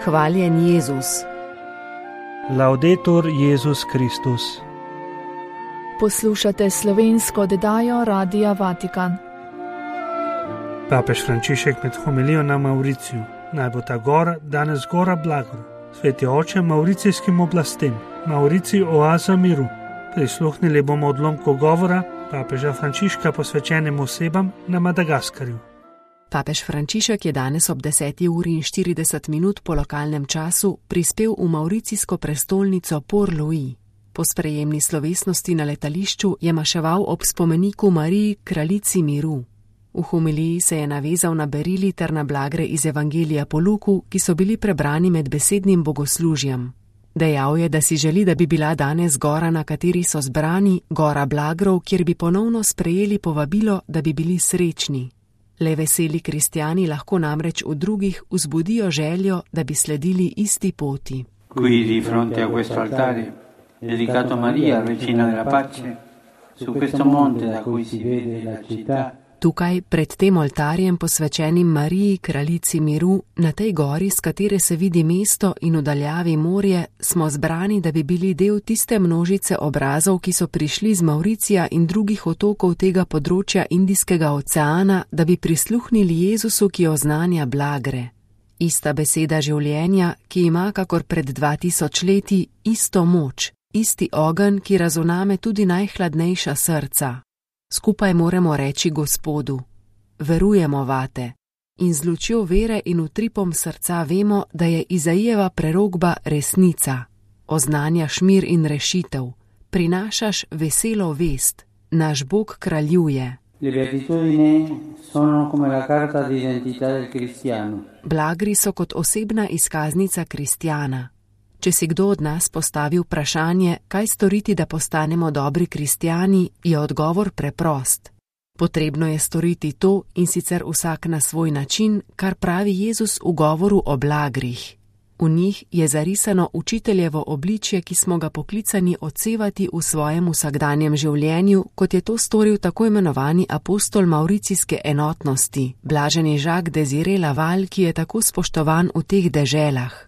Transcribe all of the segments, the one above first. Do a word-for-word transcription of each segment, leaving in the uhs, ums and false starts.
Hvaljen Jezus. Laudetur Jezus Kristus. Poslušate slovensko oddajo Radia Vatikan. Papež Frančišek med homilijo na Mauriciju. Naj bo ta gora danes gora blagor. Sveti oče mauricijskim oblastem. Mauricij oaza miru. Prisluhnili bomo odlomku govora papeža Frančiška posvečenim osebam na Madagaskarju. Papež Frančišek je danes ob deseti uri in štirideset minut po lokalnem času prispel v mauricijsko prestolnico Port-Louis. Po sprejemni slovesnosti na letališču je maševal ob spomeniku Mariji, kraljici miru. V homiliji se je navezal na berili ter na blagre iz Evangelija po Luku, ki so bili prebrani med besednim bogoslužjem. Dejal je, da si želi, da bi bila danes gora, na kateri so zbrani, gora blagrov, kjer bi ponovno sprejeli povabilo, da bi bili srečni. Le veseli kristjani lahko namreč v drugih vzbudijo željo, da bi sledili isti poti. Qui di fronte a questo altare, dedicato a Maria, regina della pace, su questo monte da cui si vede la città. Tukaj, pred tem oltarjem posvečenim Mariji, kraljici miru, na tej gori, s katere se vidi mesto in v daljavi morje, smo zbrani, da bi bili del tiste množice obrazov, ki so prišli z Mauricija in drugih otokov tega področja Indijskega oceana, da bi prisluhnili Jezusu, ki oznanja blagre. Ista beseda življenja, ki ima, kakor pred dva tisoč leti, isto moč, isti ogenj, ki razuname tudi najhladnejša srca. Skupaj moramo reči Gospodu, verujemo vate, in z lučjo vere in utripom srca vemo, da je Izaijeva prerokba resnica. Oznanjaš mir in rešitev, prinašaš veselo vest, naš Bog kraljuje. Blagri so kot osebna izkaznica kristjana. Če si kdo od nas postavi vprašanje, kaj storiti, da postanemo dobri kristjani, je odgovor preprost. Potrebno je storiti to, in sicer vsak na svoj način, kar pravi Jezus v govoru o blagrih. V njih je zarisano učiteljevo obličje, ki smo ga poklicani odsevati v svojem vsakdanjem življenju, kot je to storil tako imenovani apostol mauricijske enotnosti, blaženi Jacques Désiré Laval, ki je tako spoštovan v teh deželah.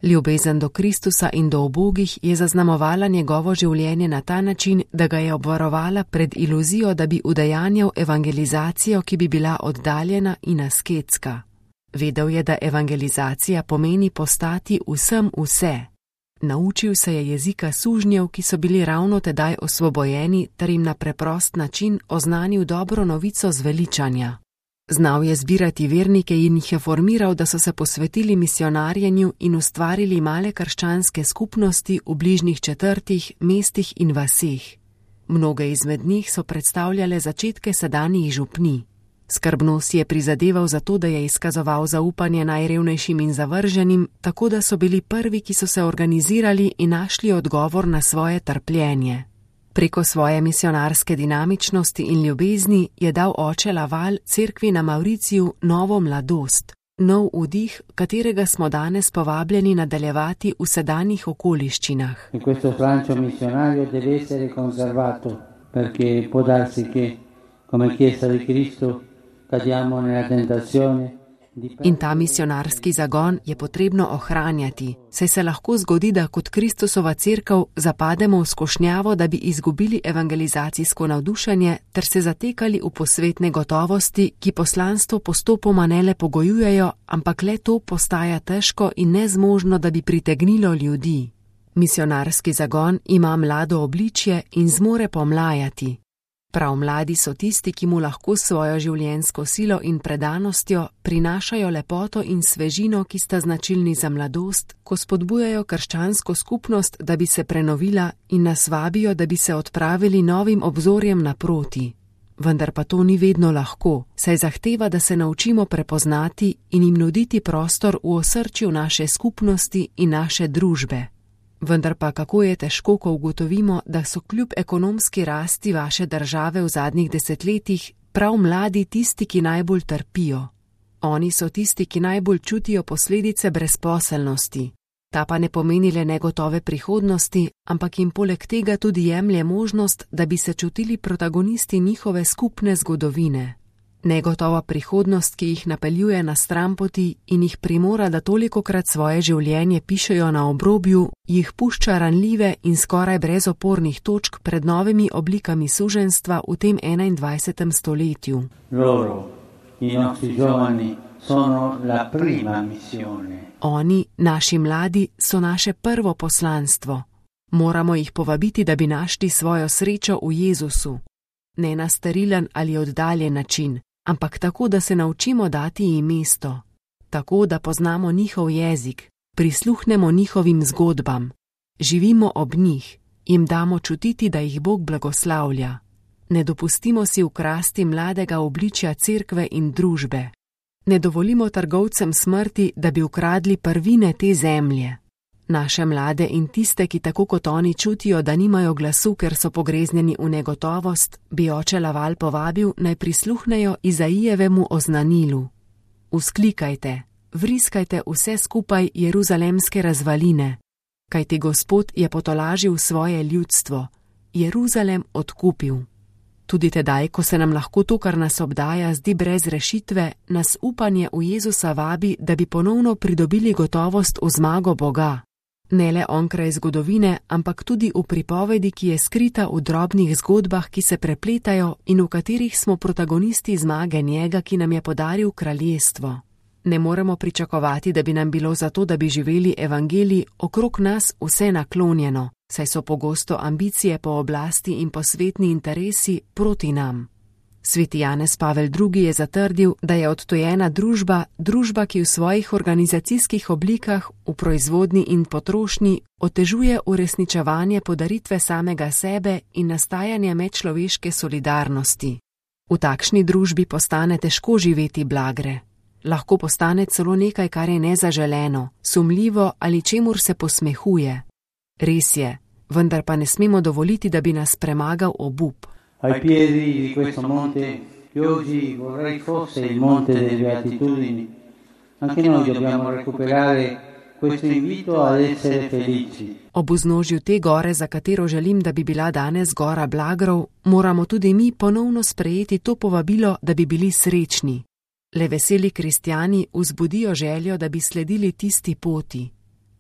Ljubezen do Kristusa in do ubogih je zaznamovala njegovo življenje na ta način, da ga je obvarovala pred iluzijo, da bi udejanjal evangelizacijo, ki bi bila oddaljena in asketska. Vedel je, da evangelizacija pomeni postati vsem vse. Naučil se je jezika sužnjev, ki so bili ravno tedaj osvobojeni, ter jim na preprost način oznanil dobro novico zveličanja. Znal je zbirati vernike in jih je formiral, da so se posvetili misionarjenju in ustvarili male krščanske skupnosti v bližnjih četrtih, mestih in vaseh. Mnoge izmed njih so predstavljale začetke sedanjih župnij. Skrbno si je prizadeval za to, da je izkazoval zaupanje najrevnejšim in zavrženim, tako da so bili prvi, ki so se organizirali in našli odgovor na svoje trpljenje. Preko svoje misionarske dinamičnosti in ljubezni je dal oče Laval cerkvi na Mauriciju novo mladost, nov vdih, katerega smo danes povabljeni nadaljevati v sedanjih okoliščinah. In questo Francio missionario deve essere conservato, perché può darsi che, come Chiesa di Cristo, cadiamo nella tentazione. In ta misionarski zagon je potrebno ohranjati, saj se lahko zgodi, da kot Kristusova cerkev zapademo v skušnjavo, da bi izgubili evangelizacijsko navdušenje ter se zatekali v posvetne gotovosti, ki poslanstvo postopoma ne le pogojujejo, ampak le to postaja težko in nezmožno, da bi pritegnilo ljudi. Misionarski zagon ima mlado obličje in zmore pomlajati. Prav mladi so tisti, ki mu lahko svojo življenjsko silo in predanostjo prinašajo lepoto in svežino, ki sta značilni za mladost, ko spodbujajo krščansko skupnost, da bi se prenovila in nas vabijo, da bi se odpravili novim obzorjem naproti. Vendar pa to ni vedno lahko, saj zahteva, da se naučimo prepoznati in jim nuditi prostor v osrčju naše skupnosti in naše družbe. Vendar pa kako je težko, ko ugotovimo, da so kljub ekonomski rasti vaše države v zadnjih desetletjih prav mladi tisti, ki najbolj trpijo. Oni so tisti, ki najbolj čutijo posledice brezposelnosti. Ta pa ne pomeni le negotove prihodnosti, ampak jim poleg tega tudi jemlje možnost, da bi se čutili protagonisti njihove skupne zgodovine. Negotova prihodnost, ki jih napeljuje na stranpoti in jih primora, da tolikokrat svoje življenje pišejo na obrobju, jih pušča ranljive in skoraj brezopornih točk pred novimi oblikami suženjstva v tem enaindvajsetem stoletju. Loro, i nostri giovani, sono la prima missione. Oni, naši mladi, so naše prvo poslanstvo. Moramo jih povabiti, da bi našli svojo srečo v Jezusu. Ne na sterilen ali oddaljen način, ampak tako, da se naučimo dati jim mesto. Tako, da poznamo njihov jezik, prisluhnemo njihovim zgodbam, živimo ob njih, jim damo čutiti, da jih Bog blagoslavlja. Ne dopustimo si ukrasti mladega obličja cerkve in družbe. Ne dovolimo trgovcem smrti, da bi ukradli prvine te zemlje. Naše mlade in tiste, ki tako kot oni čutijo, da nimajo glasu, ker so pogreznjeni v negotovost, bi oče Laval povabil, naj prisluhnejo Izaijevemu oznanilu. Vzklikajte, vriskajte vse skupaj jeruzalemske razvaline, kajti Gospod je potolažil svoje ljudstvo, Jeruzalem odkupil. Tudi tedaj, ko se nam lahko to, kar nas obdaja, zdi brez rešitve, nas upanje v Jezusa vabi, da bi ponovno pridobili gotovost v zmago Boga. Ne le onkraj zgodovine, ampak tudi v pripovedi, ki je skrita v drobnih zgodbah, ki se prepletajo in v katerih smo protagonisti zmage njega, ki nam je podaril kraljestvo. Ne moremo pričakovati, da bi nam bilo zato, da bi živeli evangelij okrog nas vse naklonjeno, saj so pogosto ambicije po oblasti in posvetni interesi proti nam. Sveti Janez Pavel drugi je zatrdil, da je odtojena družba, družba, ki v svojih organizacijskih oblikah, v proizvodnji in potrošnji, otežuje uresničevanje podaritve samega sebe in nastajanje medčloveške solidarnosti. V takšni družbi postane težko živeti blagre. Lahko postane celo nekaj, kar je nezaželeno, sumljivo ali čemur se posmehuje. Res je, vendar pa ne smemo dovoliti, da bi nas premagal obup. Ai piedi di questo monte, che oggi vorrei fosse il monte delle beatitudini, anche noi dobbiamo recuperare questo invito ad essere felici. Ob vznožju te gore, za katero želim, da bi bila danes gora blagrov, moramo tudi mi ponovno sprejeti to povabilo, da bi bili srečni. Le veseli kristjani vzbudijo željo, da bi sledili tisti poti.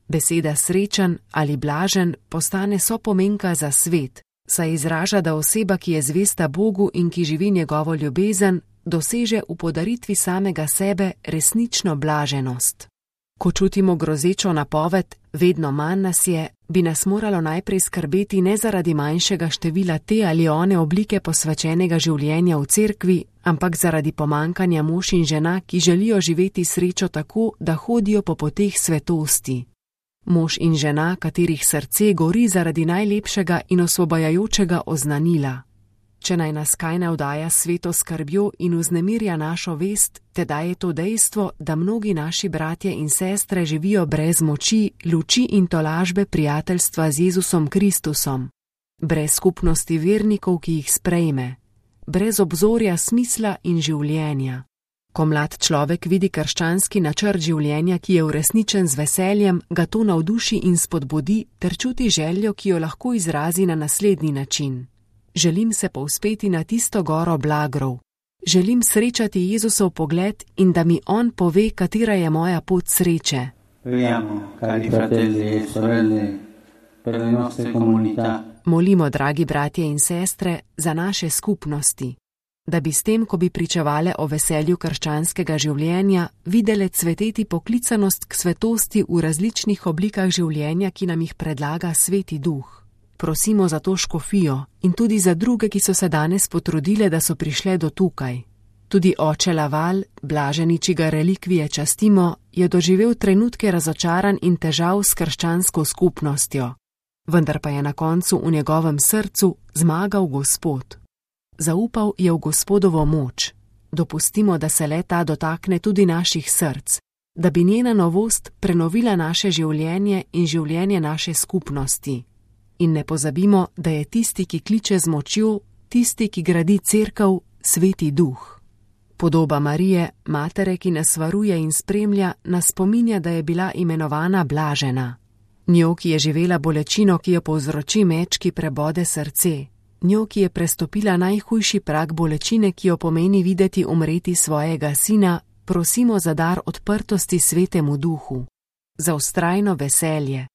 Beseda srečen ali blažen postane sopomenka za svet, saj izraža, da oseba, ki je zvesta Bogu in ki živi njegovo ljubezen, doseže v podaritvi samega sebe resnično blaženost. Ko čutimo grozečo napoved, vedno manj nas je, bi nas moralo najprej skrbeti ne zaradi manjšega števila te ali one oblike posvečenega življenja v cerkvi, ampak zaradi pomankanja mož in žena, ki želijo živeti srečo tako, da hodijo po poteh svetosti. Mož in žena, katerih srce gori zaradi najlepšega in osvobajajočega oznanila. Če naj nas kaj navdaja sveto skrbjo in vznemirja našo vest, tedaj je to dejstvo, da mnogi naši bratje in sestre živijo brez moči, luči in tolažbe prijateljstva z Jezusom Kristusom, brez skupnosti vernikov, ki jih sprejme, brez obzorja smisla in življenja. Ko mlad človek vidi krščanski načrt življenja, ki je uresničen z veseljem, ga to navduši in spodbudi ter čuti željo, ki jo lahko izrazi na naslednji način. Želim se povzpeti na tisto goro blagrov. Želim srečati Jezusov pogled in da mi on pove, katera je moja pot sreče. Preghiamo, cari fratelli e sorelle, per le nostre comunità. Molimo, dragi bratje in sestre, za naše skupnosti, da bi s tem, ko bi pričevale o veselju krščanskega življenja, videle cveteti poklicanost k svetosti v različnih oblikah življenja, ki nam jih predlaga Sveti Duh. Prosimo za to škofijo in tudi za druge, ki so se danes potrudile, da so prišle do tukaj. Tudi oče Laval, blaženi, čigar relikvije častimo, je doživel trenutke razočaran in težav s krščansko skupnostjo. Vendar pa je na koncu v njegovem srcu zmagal Gospod. Zaupal je v Gospodovo moč. Dopustimo, da se le ta dotakne tudi naših src, da bi njena novost prenovila naše življenje in življenje naše skupnosti. In ne pozabimo, da je tisti, ki kliče z močjo, tisti, ki gradi cerkev, Sveti Duh. Podoba Marije, matere, ki nas varuje in spremlja, nas spominja, da je bila imenovana blažena. Njo, ki je živela bolečino, ki jo povzroči meč, ki prebode srce. njo, ki je prestopila najhujši prag bolečine, ki jo pomeni videti umreti svojega sina, prosimo za dar odprtosti Svetemu Duhu, za vztrajno veselje,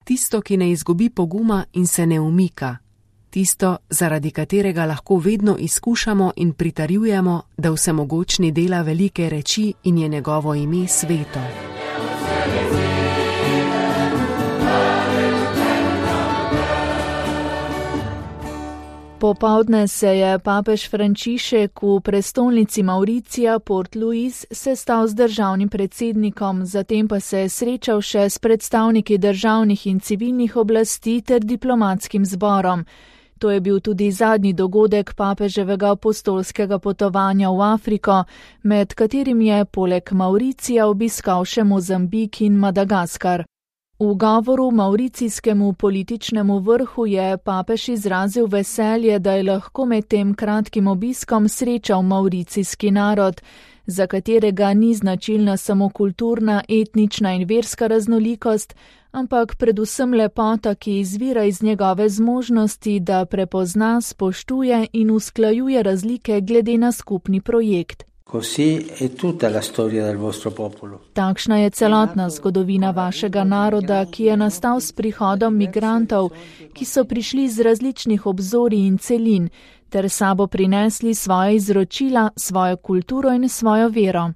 tisto, ki ne izgubi poguma in se ne umika, tisto, zaradi katerega lahko vedno izkušamo in pritarjujemo, da vsemogočni dela velike reči in je njegovo ime sveto. Popoldne se je papež Frančišek v prestolnici Mauricija Port Louis sestal z državnim predsednikom, zatem pa se je srečal še s predstavniki državnih in civilnih oblasti ter diplomatskim zborom. To je bil tudi zadnji dogodek papeževega apostolskega potovanja v Afriko, med katerim je poleg Mauricija obiskal še Mozambik in Madagaskar. V govoru mauricijskemu političnemu vrhu je papež izrazil veselje, da je lahko med tem kratkim obiskom srečal mauricijski narod, za katerega ni značilna samo kulturna, etnična in verska raznolikost, ampak predvsem lepota, ki izvira iz njegove zmožnosti, da prepozna, spoštuje in usklajuje razlike glede na skupni projekt. Takšna je celotna zgodovina vašega naroda, ki je nastal s prihodom migrantov, ki so prišli z različnih obzorij in celin, ter sabo prinesli svoje izročila, svojo kulturo in svojo vero.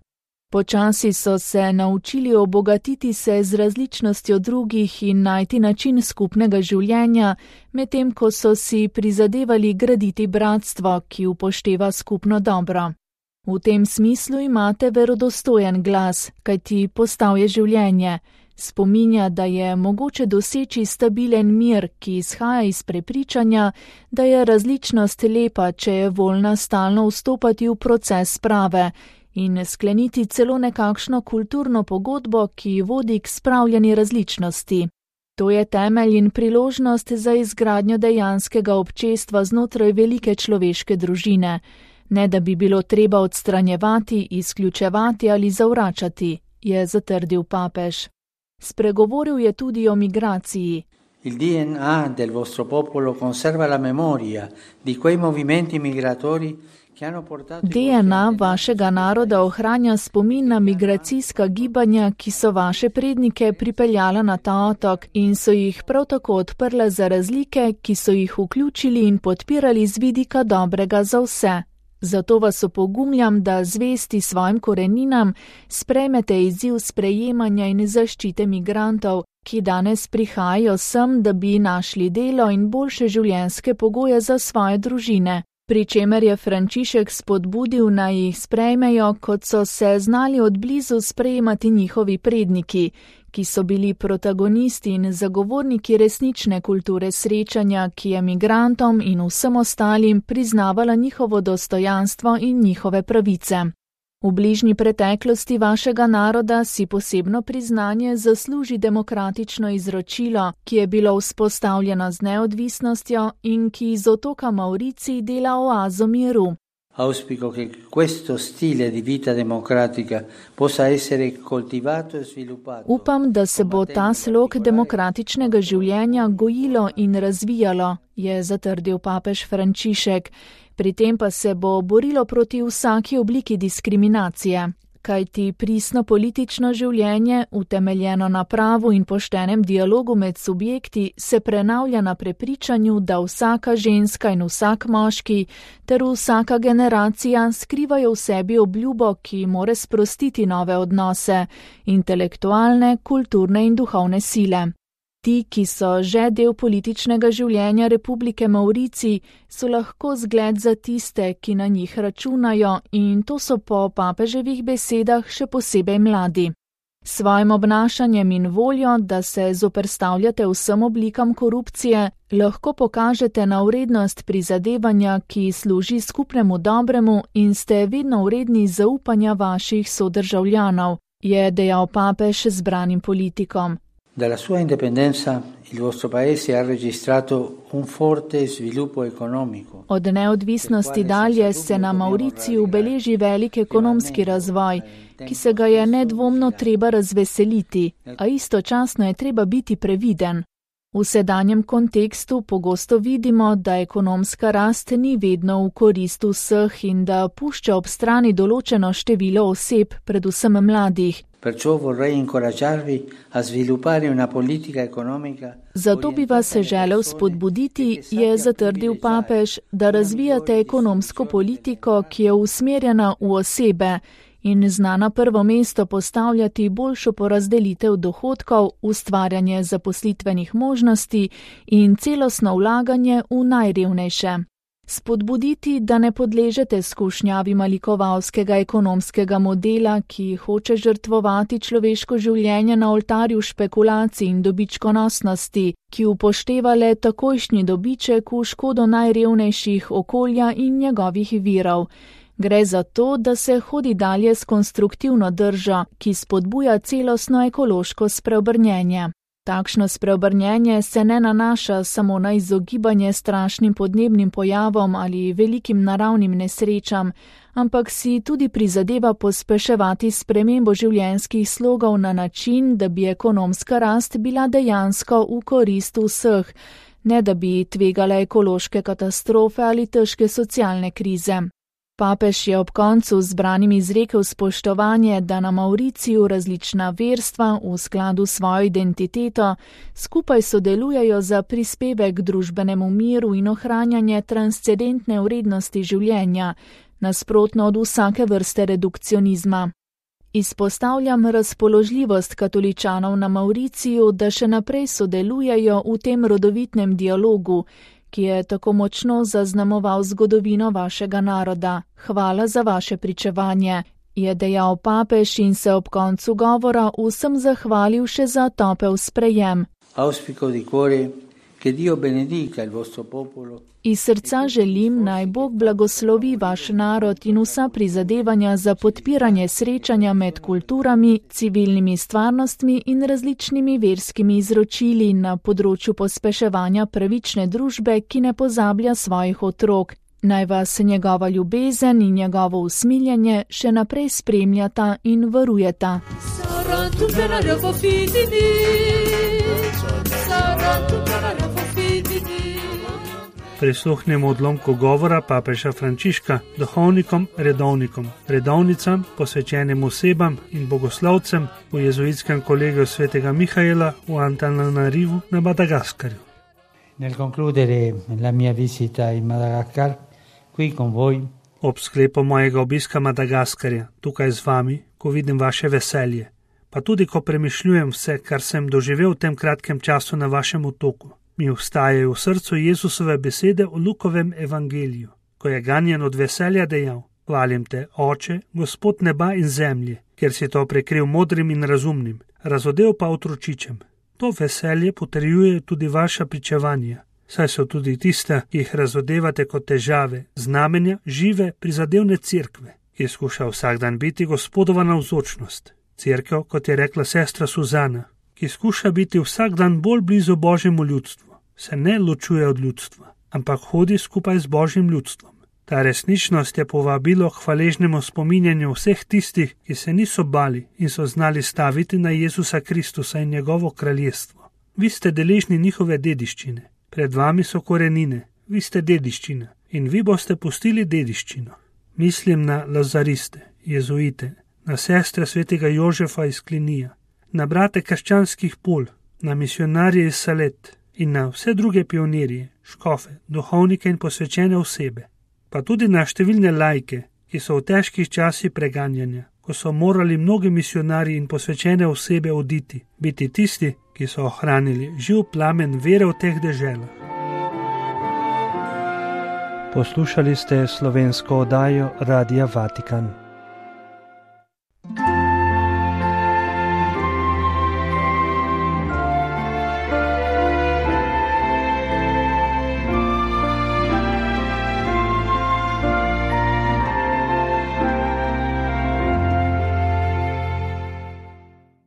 Počasi so se naučili obogatiti se z različnostjo drugih in najti način skupnega življenja, medtem ko so si prizadevali graditi bratstvo, ki upošteva skupno dobro. V tem smislu imate verodostojen glas, kajti postal je življenje. Spominja, da je mogoče doseči stabilen mir, ki izhaja iz prepričanja, da je različnost lepa, če je voljna stalno vstopati v proces sprave in skleniti celo nekakšno kulturno pogodbo, ki vodi k spravljeni različnosti. To je temelj in priložnost za izgradnjo dejanskega občestva znotraj velike človeške družine. Ne da bi bilo treba odstranjevati, izključevati ali zavračati, je zatrdil papež. Spregovoril je tudi o migraciji. Il D N A del vostro popolo conserva la memoria di quei movimenti migratori che hanno portato D N A vašega naroda ohranja spomin na migracijska gibanja, ki so vaše prednike pripeljala na ta otok in so jih prav tako odprla za razlike, ki so jih vključili in podpirali z vidika dobrega za vse. Zato vas opogumljam, da zvesti svojim koreninam sprejmete izziv sprejemanja in zaščite migrantov, ki danes prihajajo sem, da bi našli delo in boljše življenjske pogoje za svoje družine. Pri čemer je Frančišek spodbudil, naj jih sprejmejo, kot so se znali odblizu sprejemati njihovi predniki, ki so bili protagonisti in zagovorniki resnične kulture srečanja, ki je migrantom in vsem ostalim priznavala njihovo dostojanstvo in njihove pravice. V bližnji preteklosti vašega naroda si posebno priznanje zasluži demokratično izročilo, ki je bilo vzpostavljeno z neodvisnostjo in ki iz otoka Mauricij dela oazo miru. Auspico che questo stile di vita democratica possa essere coltivato e sviluppato. Upam, da se bo ta slog demokratičnega življenja gojilo in razvijalo, je zatrdil papež Frančišek. Pri tem pa se bo borilo proti vsaki obliki diskriminacije, kajti pristno politično življenje, utemeljeno na pravu in poštenem dialogu med subjekti, se prenavlja na prepričanju, da vsaka ženska in vsak moški ter vsaka generacija skrivajo v sebi obljubo, ki more sprostiti nove odnose, intelektualne, kulturne in duhovne sile. Ti, ki so že del političnega življenja Republike Mauricij, so lahko zgled za tiste, ki na njih računajo, in to so po papeževih besedah še posebej mladi. S svojim obnašanjem in voljo, da se zoperstavljate vsem oblikam korupcije, lahko pokažete na vrednost prizadevanja, ki služi skupnemu dobremu in ste vedno vredni zaupanja vaših sodržavljanov, je dejal papež zbranim politikom. Dalla sua indipendenza il vostro paese ha registrato un forte sviluppo economico. Od neodvisnosti dalje se na Mauriciju beleži velik ekonomski razvoj, ki se ga je nedvomno treba razveseliti, a istočasno je treba biti previden. V sedanjem kontekstu pogosto vidimo, da ekonomska rast ni vedno v korist vseh in da pušča ob strani določeno število oseb, predvsem mladih. Zato bi vas želel spodbuditi, je zatrdil papež, da razvijate ekonomsko politiko, ki je usmerjena v osebe in zna na prvo mesto postavljati boljšo porazdelitev dohodkov, ustvarjanje zaposlitvenih možnosti in celostno vlaganje v najrevnejše. Spodbuditi, da ne podležete skušnjavi malikovalskega ekonomskega modela, ki hoče žrtvovati človeško življenje na oltarju špekulacij in dobičkonosnosti, ki upošteva le takojšnji dobiček v škodo najrevnejših okolja in njegovih virov. Gre za to, da se hodi dalje s konstruktivno držo, ki spodbuja celostno ekološko spreobrnjenje. Takšno spreobrnjenje se ne nanaša samo na izogibanje strašnim podnebnim pojavom ali velikim naravnim nesrečam, ampak si tudi prizadeva pospeševati spremembo življenjskih slogov na način, da bi ekonomska rast bila dejansko v korist vseh, ne da bi tvegala ekološke katastrofe ali težke socialne krize. Papež je ob koncu zbranim izrekel spoštovanje, da na Mauriciju različna verstva v skladu s svojo identiteto skupaj sodelujejo za prispevek k družbenemu miru in ohranjanje transcendentne vrednosti življenja, nasprotno od vsake vrste redukcionizma. Izpostavljam razpoložljivost katoličanov na Mauriciju, da še naprej sodelujejo v tem rodovitnem dialogu, ki je tako močno zaznamoval zgodovino vašega naroda. Hvala za vaše pričevanje, je dejal papež in se ob koncu govora vsem zahvalil še za topel sprejem. Iz srca želim, naj Bog blagoslovi vaš narod in vsa prizadevanja za podpiranje srečanja med kulturami, civilnimi stvarnostmi in različnimi verskimi izročili na področju pospeševanja pravične družbe, ki ne pozablja svojih otrok. Naj vas njegova ljubezen in njegovo usmiljenje še naprej spremljata in varujeta. Prisluhnemo odlomku govora papeža Frančiška duhovnikom, redovnikom, redovnicam, posvečenim osebam in bogoslovcem v jezuitskem kolegiju svetega Mihaela v Antananarivu na Madagaskarju. Nel concludere la mia visita in Madagascar, qui con voi, ob sklepu mojega obiska Madagaskarja, tukaj z vami, ko vidim vaše veselje, pa tudi ko premišljujem vse, kar sem doživel v tem kratkem času na vašem otoku, mi vstajajo v srcu Jezusove besede v Lukovem evangeliju, ko je ganjen od veselja dejal: Hvalim te, Oče, Gospod neba in zemlje, ker si to prekril modrim in razumnim, razodel pa otročičem. To veselje potrjuje tudi vaša pričevanja, saj so tudi tiste, ki jih razodevate kot težave, znamenja žive prizadevne cerkve, ki skuša vsak dan biti Gospodova navzočnost. Cerkev, kot je rekla sestra Suzana, ki skuša biti vsak dan bolj blizu Božjemu ljudstvu, se ne ločuje od ljudstva, ampak hodi skupaj z Božjim ljudstvom. Ta resničnost je povabilo k hvaležnemu spominjanju vseh tistih, ki se niso bali in so znali staviti na Jezusa Kristusa in njegovo kraljestvo. Vi ste deležni njihove dediščine, pred vami so korenine, vi ste dediščina in vi boste pustili dediščino. Mislim na lazariste, jezuite, na sestre svetega Jožefa iz Klinija, na brate krščanskih pol, na misionarje iz Salet in na vse druge pionirje, škofe, duhovnike in posvečene osebe, pa tudi na številne laike, ki so v težkih časih preganjanja, ko so morali mnogi misionarji in posvečene osebe oditi, biti tisti, ki so ohranili živ plamen vere v teh deželah. Poslušali ste slovensko oddajo Radia Vatikan.